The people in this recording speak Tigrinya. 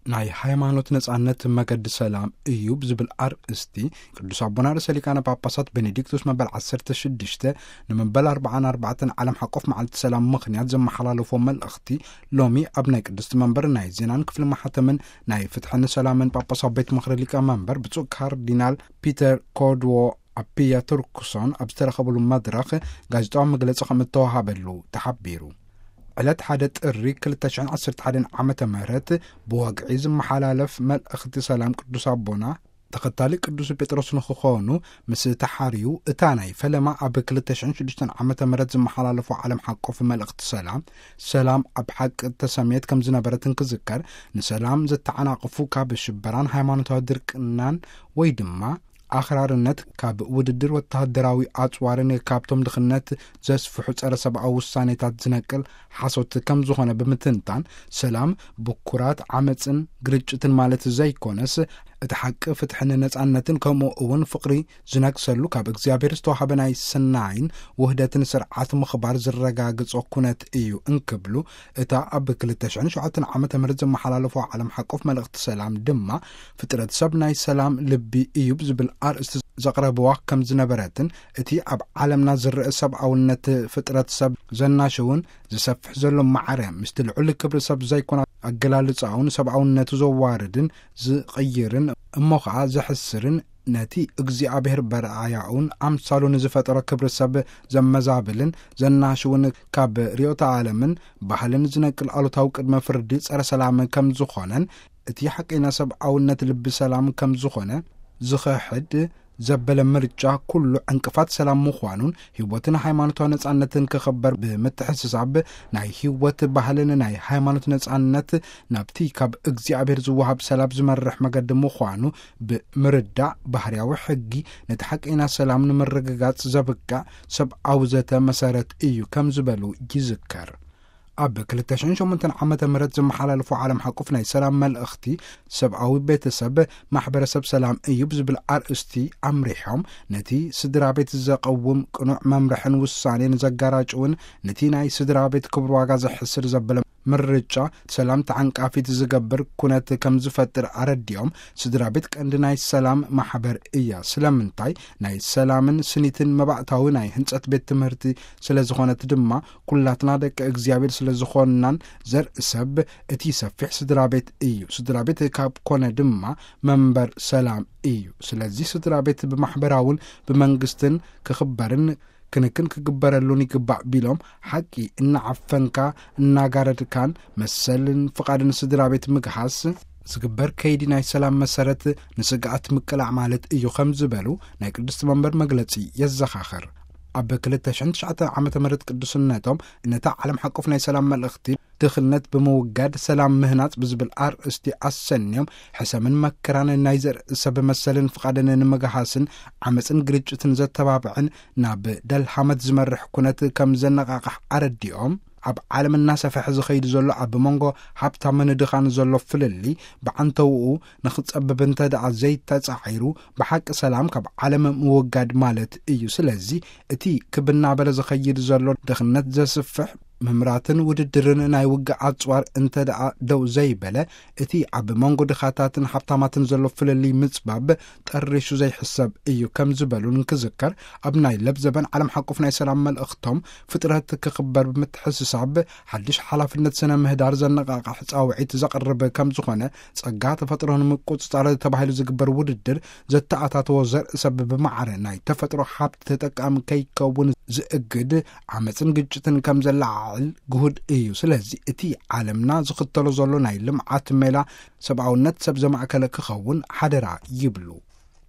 ናይ ሃይማኖት ነጻነት መገዲ ሰላም እዩ ብዝብል ኣርእስቲ፣ ቅዱስ ኣቦና ርእሰ ሊቃነ ጳጳሳት ቤኔዲክቶስ መበል ዓሰርተ ሽዱሽተ ንመበል ኣርባዓን ኣርባዕተን ዓለም ሓቆፍ መዓልቲ ሰላም ምኽንያት ዘመሓላለፎ መልእኽቲ፣ ሎሚ ኣብ ናይ ቅድስቲ መንበር ናይ ዜናን ክፍሊ ማሕተምን ናይ ፍትሕን ሰላምን ጳጳሳዊ ቤት ምኽሪ ሊቀ መንበር ብፁዕ ካርዲናል ፒተር ኮድዎ ኣፒያ ቱርክሶን ኣብ ዝተረኸብሉ መድረኽ ጋዜጣዊ መግለጺ ከም እተዋሃበሉ ተሓቢሩ። ዕለት ሓደ ጥሪ ክልተ ሽሕን ዓሰርተ ሓደን ዓመተ ምህረት ብወግዒ ዝመሓላለፍ መልእኽቲ ሰላም ቅዱስ ኣቦና ተኸታሊ ቅዱስ ጴጥሮስ ንክኾኑ ምስ ተሓርዩ፣ እታ ናይ ፈለማ ኣብ ክልተ ሽሕን ሽዱሽተን ዓመተ ምህረት ዝመሓላለፎ ዓለም ሓቆፍ መልእኽቲ ሰላም፣ ሰላም ኣብ ሓቂ እተሰምየት ከም ዝነበረት እንክዝከር፣ ንሰላም ዘተዓናቕፉ ካብ ሽበራን ሃይማኖታዊ ድርቅናን ወይ ድማ ኣኽራርነት ካብ ውድድር ወተሃደራዊ ኣጽዋርን ካብቶም ድኽነት ዘስፍሑ ጸረ ሰብኣዊ ውሳኔታት ዝነቅል ሓሶት ከም ዝኾነ ብምትንታን፣ ሰላም ብኩራት ዓመጽን ግርጭትን ማለት ዘይኮነስ፣ እቲ ሓቂ ፍትሕን ነጻነትን ከምኡ እውን ፍቕሪ ዝነግሰሉ ካብ እግዚኣብሔር ዝተዋሃበ ናይ ሰናይን ውህደትን ስርዓት ምኽባር ዝረጋግጾ ኩነት እዩ እንክብሉ፣ እታ ኣብ ክልተ ሽሕን ሸውዓተን ዓመተ ምህረት ዘመሓላለፎ ዓለም ሓቆፍ መልእኽቲ ሰላም ድማ፣ ፍጥረት ሰብ ናይ ሰላም ልቢ እዩ ብዝብል ኣርእስቲ ዘቕረብዋ ከም ዝነበረትን፣ እቲ ኣብ ዓለምና ዝረአ ሰብኣውነት ፍጥረት ሰብ ዘናሽውን ዝሰፍሕ ዘሎ ማዕረ ምስቲ ልዑል ክብሪ ሰብ ዘይኮነ ኣገላልጻኡን ሰብኣውነቱ ዘዋርድን ዝቕይርን እሞ ኸኣ ዘሕስርን፣ ነቲ እግዚኣብሔር በርኣያኡን ኣምሳሉን ዝፈጠሮ ክብሪ ሰብ ዘመዛብልን ዘናሽውን፣ ካብ ርእዮተ ዓለምን ባህልን ዝነቅል ኣሉታዊ ቅድመ ፍርዲ ጸረ ሰላም ከም ዝኾነን፣ እቲ ሓቀኛ ሰብኣውነት ልቢ ሰላም ከም ዝኾነ ዝኸሕድ ዘበለ ምርጫ ኩሉ ዕንቅፋት ሰላም ምዃኑን፣ ህይወትን ሃይማኖታዊ ነጻነትን ክኽበር ብምትሕስሳብ፣ ናይ ህይወት ባህልን ናይ ሃይማኖት ነጻነት ናብቲ ካብ እግዚኣብሔር ዝወሃብ ሰላም ዝመርሕ መገዲ ምዃኑ ብምርዳእ፣ ባህርያዊ ሕጊ ነቲ ሓቀኛ ሰላም ንምርግጋጽ ዘብቅዕ ሰብኣዊ ዘተ መሰረት እዩ ከም ዝበሉ ይዝከር። ኣብ ክልተ ሽሕን ሸሞንተን ዓመተ ምህረት ዝመሓላለፎ ዓለም ሓቁፍ ናይ ሰላም መልእኽቲ፣ ሰብኣዊ ቤተሰብ ማሕበረሰብ ሰላም እዩ ብዝብል ኣርእስቲ ኣምሪሖም፣ ነቲ ስድራ ቤት ዘቐውም ቅኑዕ መምርሕን ውሳኔን ዘጋራጭውን፣ ነቲ ናይ ስድራ ቤት ክብር ዋጋ ዘሕስር ዘበለ ምርጫ ሰላም ተዓንቃፊት ዝገብር ኩነት ከም ዝፈጥር ኣረዲኦም፣ ስድራ ቤት ቀንዲ ናይ ሰላም ማሕበር እያ። ስለምንታይ? ናይ ሰላምን ስኒትን መባእታዊ ናይ ህንጸት ቤት ትምህርቲ ስለ ዝኾነት ድማ፣ ኩላትና ደቂ እግዚኣብሔር ስለ ዝኾንናን፣ ዘርኢ ሰብ እቲ ሰፊሕ ስድራ ቤት እዩ። ስድራ ቤት ካብ ኮነ ድማ መንበር ሰላም እዩ። ስለዚ ስድራ ቤት ብማሕበራውን ብመንግስትን ክኽበርን ክንክን ክግበረሉን ይግባእ ቢሎም፣ ሓቂ እናዓፈንካ እናጋረድካን መሰልን ፍቓድን ስድራ ቤት ምግሃስ ዝግበር ከይዲ ናይ ሰላም መሰረት ንስግኣት ምቅላዕ ማለት እዩ ከም ዝበሉ ናይ ቅድስቲ መንበር መግለጺ የዘኻኽር። ኣብ ክልተ ሽሕን ትሽዓተን ዓመተ ምህረት ቅዱስነቶም ነታ ዓለም ሓቆፍ ናይ ሰላም መልእኽቲ ድኽነት ብምውጋድ ሰላም ምህናጽ ብዝብል ኣርእስቲ ኣሰንዮም፣ ሕሰምን መከራን ናይ ዘርኢ ሰብ መሰልን ፍቓድን ንምግሃስን ዓመጽን ግርጭትን ዘተባብዕን ናብ ደልሃመት ዝመርሕ ኩነት ከም ዘነቓቕሕ ኣረዲኦም፣ ኣብ ዓለም እናሰፍሐ ዝኸይድ ዘሎ ኣብ መንጎ ሃብታምን ድኻን ዘሎ ፍልልይ ብዓንተውኡ ንኽጸብብ እንተ ደኣ ዘይተጻዒሩ፣ ብሓቂ ሰላም ካብ ዓለም ምውጋድ ማለት እዩ። ስለዚ እቲ ክብ እናበለ ዝኸይድ ዘሎ ድኽነት ዘስፍሕ ምምራትን ውድድርን ናይ ውግእ ኣጽዋር እንተ ደኣ ደው ዘይበለ፣ እቲ ኣብ መንጎ ድኻታትን ሃብታማትን ዘሎ ፍልልይ ምጽባብ ጠሪሹ ዘይሕሰብ እዩ ከም ዝበሉን ክዝከር፣ ኣብ ናይ ለብዘበን ዓለም ሓቁፍ ናይ ሰላም መልእኽቶም፣ ፍጥረት ክኽበር ብምትሕስሳብ ሓድሽ ሓላፍነት ስነ ምህዳር ዘነቓቕሕ ጻውዒት ዘቕርብ ከም ዝኾነ፣ ጸጋ ተፈጥሮ ንምቁጽጻር ተባሂሉ ዝግበር ውድድር ዘተኣታተዎ ዘርኢ ሰብ ብማዕረ ናይ ተፈጥሮ ሃብቲ ተጠቃሚ ከይከውን ዝእግድ ዓመጽን ግጭትን ከም ዘለዓዕል ግሁድ እዩ። ስለዚ እቲ ዓለምና ዝኽተሎ ዘሎ ናይ ልምዓት ሜላ ሰብኣውነት ሰብ ዘማእከለ ክኸውን ሓደራ ይብሉ።